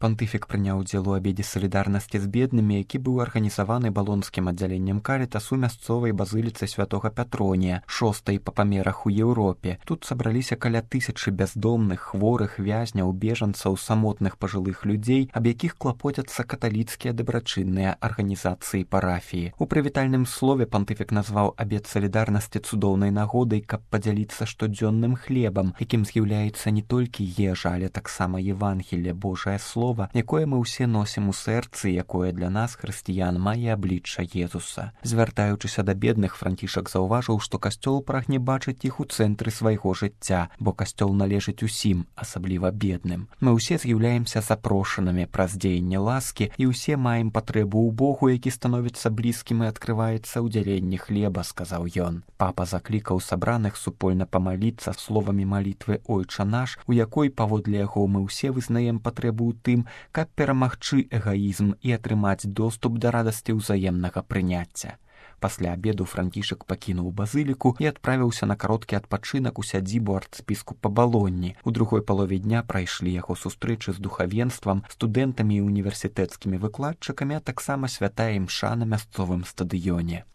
Пантыфік прыняў удзел у абедзе салідарнасці з беднымі, які быў арганізаваны балонскім аддзяленнем карытасу мясцовай базыліцы святога Пятронія, 6-й па памерах у Еўропе. Тут сабраліся каля 1000 бяздомных, хворых, вязняў, бежанцаў, самотных пажылых людзей, аб якіх клапоцяцца каталіцкія дабрачынныя арганізацыі парафіі. У прывітальным слове пантыфік назваў абед салідарнасці цудоўнай нагодай, каб падзяліцца штодзённым хлебам, якім з'яўляецца не толькі ежа, але таксама Евангелле, Божае слово, якое мы ўсе носім у сэрцы, якое для нас, хрысціян, мае аблічча Езуса. Звяртаючыся да бедных, Францішак заўважыў, што касцёл прагне бачыць іх у цэнтры свайго жыцця, бо касцёл належыць усім, асабліва бедным. Мы ўсе з'яўляемся запрошанымі праз дзеянне ласкі, і ўсе маем патрэбу ў Богу, які становіцца блізкім і адкрываецца ў дзяленні хлеба, сказаў ён. Папа заклікаў сабраных супольна памаліцца словамі малітвы «Ойча наш», у якой, паводле яго, мы ўсе вызнаем патрэбу ў тым, каб перамагчы эгаізм і атрымаць доступ да радасці ўзаемнага прыняцця. Пасля абеду Францішак пакінуў базыліку і адправіўся на кароткі адпачынак у сядзібу арцбіскупа Балонні. У другой палове дня прайшлі яго сустрэчы з духавенствам, студэнтамі і універсітэцкімі выкладчыкамі, а таксама святая імша на мясцовым стадыёне.